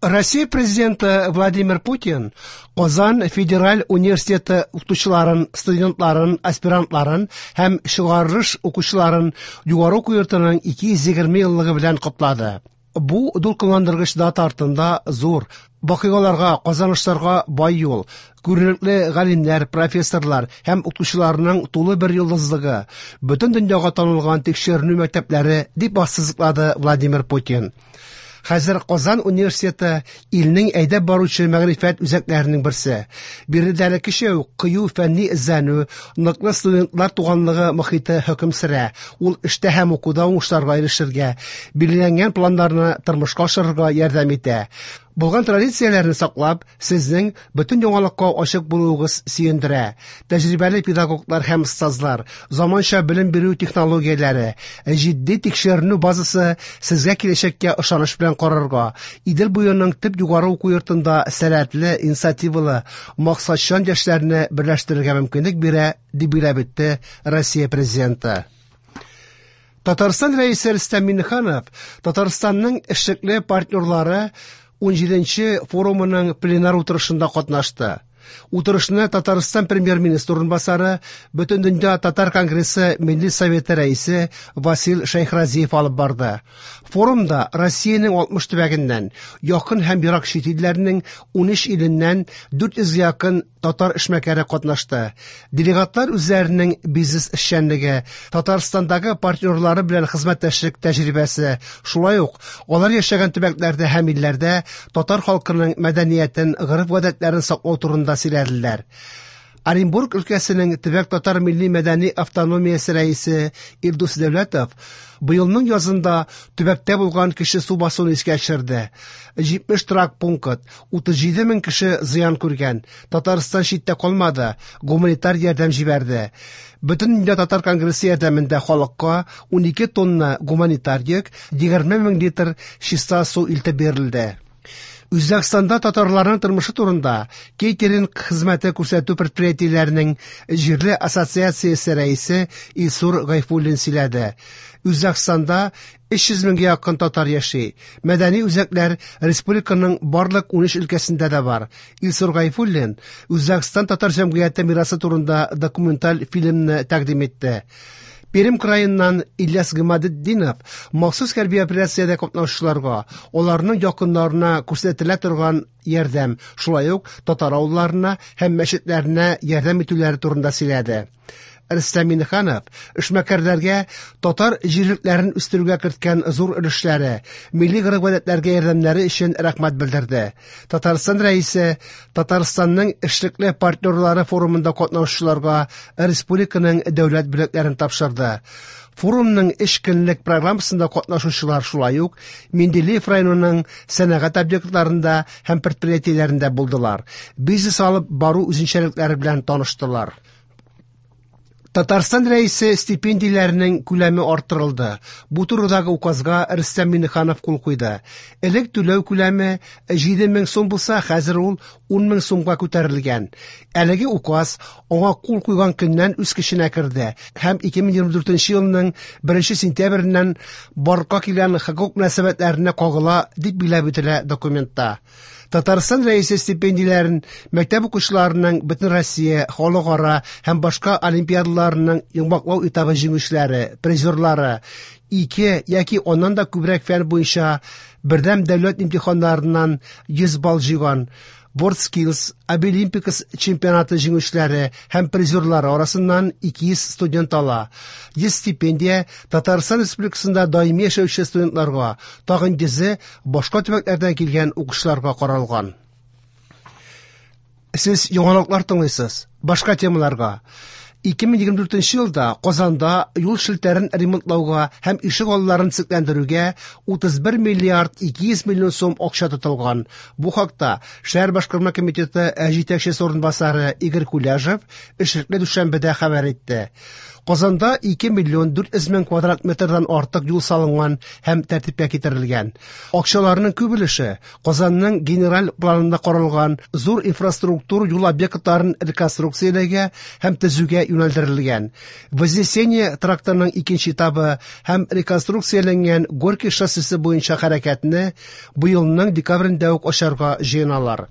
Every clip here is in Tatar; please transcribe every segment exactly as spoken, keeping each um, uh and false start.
Россия президенты Владимир Путин Казан федераль университеты укытучыларын, студентларын, аспирантларын һәм чыгарылыш укучыларын югары уку йортының ике йөз егерме еллыгы белән котлады. Бу дулкынландыргыч дата артында зур вакыйгаларга, казанышларга бай юл, күренекле галимнәр, профессорлар һәм укытучыларның тулы бер йолдызлыгы, бөтен дөньяга танылган тикшеренү мәктәпләре, дип ассызыклады Владимир Путин. Хәзер Казан университеты илнең әйдәп баручы мәгърифәт үзәкләренең берсе. Биредә элеккечә үк кыю фәнни эзләнү, ныклы студентлар туганлыгы мохите хөкем сөрә. Ул эштә һәм укуда уңышларга ирешергә, билгеләнгән планнарны тормышка ашырырга ярдәм итә. Булган традицияләрне саклап, сезнең бөтен яңалыкка ачык булуыгыз сөендерә. Тәҗрибәле педагоглар һәм остазлар, заманча белем бирү технологияләре, җитди тикшеренү базасы сезгә киләчәккә ышаныч белән карарга, Идел буеның төп югары уку йортында сәләтле, инициативалы, максатчан яшьләрне берләштерергә мөмкинлек бирә, дип билгеләп үтте Россия президенты. Татарстан Рәисе Рөстәм Миңнеханов Татарстанның эшлекле партнерлары ун җиденче форумының пленар утырышында катнашты. Утырышны Татарстан премьер-министры урынбасары, Бөтендөнья татар конгрессы Милли советы рәисе Васил Шәйхразиев алып барды. Форумда Россиянең алтмыш төбәгеннән, якын һәм ерак чит илләрнең ун өч иленнән дүрт йөзгә якын татар эшмәкәре катнашты. Делегатлар үзләренең бизнес эшчәнлеге, Татарстандагы партнерлары белән хезмәттәшлек тәҗрибәсе, шулай ук алар яшәгән төбәкләрдә һәм илләрдә татар халкының мәдәниятен, гореф-гадәтләрен саклау турында сөйләделәр. Оренбург өлкәсенең төбәк татар милли мәдәни автономиясе рәисе Илдус Дәүләтов быелның язында төбәктә булган кеше су басуын искә төшерде. Җитмеш торак пункт, утыз җиде мең кеше зыян күргән. Татарстан читтә калмады, гуманитар ярдәм җибәрде. Бөтен дөнья татар конгрессы ярдәмендә халыкка ун ике тонна гуманитар йөк, егерме мең литр чиста су илтеп бирелде. Үзбәкстанда татарларның тормышы турында кейтеринг хезмәте күрсәтү предприятиеләренең җирле ассоциациясе рәисе Илсур Гайфуллин сөйләде. Үзбәкстанда өч йөз меңгә якын татар яши. Мәдәни үзәкләр республиканың барлык ун өч өлкәсендә дә бар. Илсур Гайфуллин Үзбәкстан татар җәмгыяте мирасы турында документаль фильмны тәкъдим итте. Пермь краеннан Ильяс Гыймадетдинов махсус хәрби операциядә катнашучыларга, аларның якыннарына күрсәтелә торган ярдәм, шулай ук татар авылларына һәм мәчетләренә ярдәм итүләре турында сөйләде. Рөстәм Миңнеханов эшмәкәрләргә татар җирлекләрен үстерүгә керткән зур өлешләре, милли гореф-гадәтләргә ярдәмнәре өчен рәхмәт белдерде. Татарстан рәисе Татарстанның эшлекле партнерлары форумында катнашучыларга республиканың дәүләт бүләкләрен тапшырды. Форумның өч көнлек программасында катнашучылар шулай ук Менделеев районының сәнәгать объектларында һәм предприятиеләрендә булдылар. Бизнес алып бару үзенчәлекләре белән таныштылар. Татарстан рәисе стипендияләренең күләме арттырылды. Бу турыдагы указга Рөстәм Миңнеханов кул куйды. Элек түләү күләме җиде мең сум булса, хәзер ул ун мең сумга күтәрелгән. Әлеге указ аңа кул куйган көннән үз көченә керде һәм ике мең егерме дүртенче елның беренче сентябреннән барлыкка килгән хокук мөнәсәбәтләренә кагыла, дип билгеләп үтелә документта. Татарстан рәисе стипендияләрен мәктәп укучыларының бөтен Россия, халыкара һәм башка олимпиадаларының йомгаклау этабы җиңүчеләре, призерлары, ике яки аннан да күбрәк фән буенча бердәм дәүләт имтиханнарыннан йөз балл җыйган WorldSkills, Абилимпикс чемпионаты җиңүчеләре һәм призерлары арасыннан ике йөз студент ала. Йөз стипендия Татарстан Республикасында даими яшәүче студентларга, тагын йөзе башка төбәкләрдән килгән укучыларга каралган. Сез яңалыклар тыңлыйсыз. Башка темаларга. Ике мең егерме дүртенче елда Казанда юл челтәрен ремонтлауга һәм ишек алларын төзекләндерүгә утыз бер миллиард ике йөз миллион сум акча тотылган. Бу хакта шәһәр башкарма комитеты җитәкчесе урынбасары Игорь Куляжев эшлекле дүшәмбедә хәбәр итте. Казанда ике миллион дүрт йөз мең квадрат метрдан артык юл салынган һәм тәртипкә китерелгән. Акчаларның күп өлеше Казанның генераль планында каралган зур инфраструктур юл объектларын реконструкцияләүгә һәм төзүгә юнәлдерелгән. Вознесение трактының икенче этабы һәм реконструкцияләнгән Горький шоссесы буенча хәрәкәтне быелның декабрендә үк ачарга җыеналар.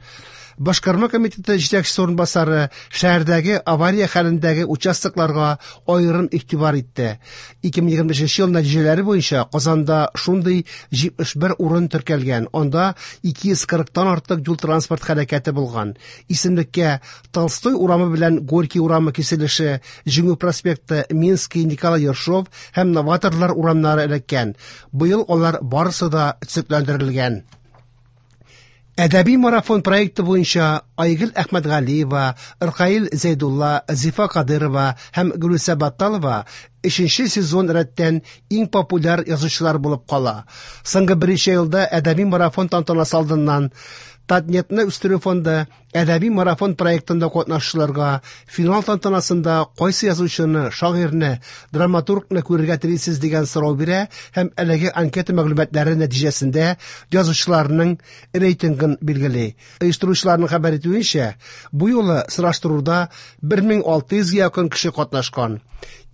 Башкарма комитеты җитәкчесе урынбасары шәһәрдәге авария хәлендәге участокларга аерым игътибар итте. ике мең егерме бишенче ел нәтиҗәләре буенча Казанда шундый җитмеш бер урын теркәлгән. Анда ике йөз кырыктан артык юл-транспорт хәрәкәте булган. Исемлеккә Толстой урамы белән Горький урамы киселеше, Җиңү проспекты, Минский, Николай Ершов һәм Новаторлар урамнары эләккән. Быел алар барысы да төзекләндерелгән. Әдәби марафон проекты буенча Айгөл Әхмәтгалиева, Ркаил Зәйдулла, Зифа Кадырова һәм Гөлүсә Батталова өченче сезон рәттән иң популяр язучылар булып кала. Соңгы берничә елда әдәби марафон тантанасы алдыннан Татнетны үстерү фонды әдәби марафон проектында катнашучыларга финал тантанасында кайсы язучыны, шагыйрьне, драматургны күрергә телисез дигән сорау бирә һәм әлеге анкета мәгълүматлары нәтиҗәсендә язучыларның рейтингын билгели. Оештыручыларның хәбәр итүенчә, бу юлы сораштыруда бер мең алты йөзгә якын кеше катнашкан.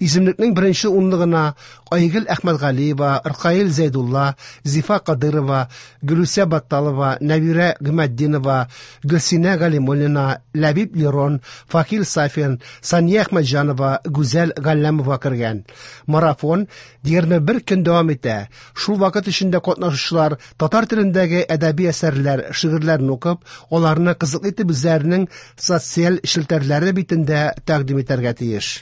Исемлекнең беренче унлыгына Айгөл Әхмәтгалиева, Ркаил Зәйдулла, Зифа Кадырова, Гөлүсә Батталова, Нәбирә Гыйматдинова, Гөлсинә Галимуллина, Ләбиб Лерон, Факил Сафин, Сания Әхмәтҗанова, Гүзәл Галләмова кергән. Марафон егерме бер көн дәвам итә. Шул вакыт эчендә катнашучылар татар телендәге әдәби әсәрләр, шигырьләрне укып, аларны кызыклы итеп үзләренең социаль челтәрләре битендә тәкъдим итәргә тиеш.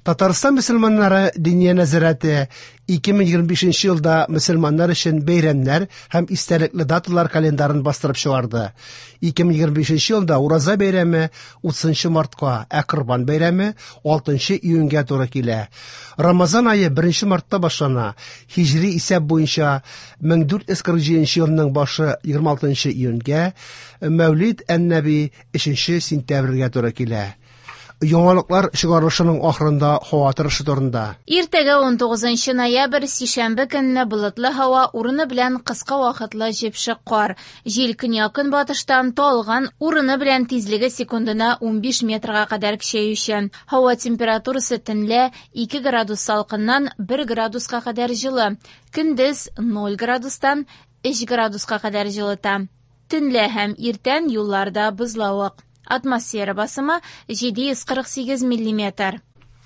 Татарстан мөселманнары Диния нәзарәте ике мең егерме бишенче елда мөселманнар өчен бәйрәмнәр һәм истәлекле даталар календарын бастырып чыгарды. Ике мең егерме бишенче елда Ураза бәйрәме утызынчы мартка, ә Корбан бәйрәме алтынчы июньгә туры килә. Рамазан ае беренче мартта башлана. Һиҗри исәп буенча мең дүрт йөз кырык җиденче елның башы егерме алтынчы июньгә, Мәүлид ән-Нәби өченче сентябрьгә туры килә. Яңалыклар чыгарылышының ахырында һава торышы турында. Иртәгә ун тугызынчы ноябрь сишәмбе көнне болытлы һава, урыны белән кыска вакытлы җепшек кар. Җил көньяк-көнбатыштан талгын, урыны белән тизлеге секундына унбиш метрга кадәр көчәюче. Һава температурасы төнлә ике градус салкыннан бер градуска кадәр җылы. Көндез ноль градустан өч градуска кадәр җылыта. Төнлә һәм иртән юлларда бозлавык. Атмосфера басымы җиде йөз кырык сигез миллиметр.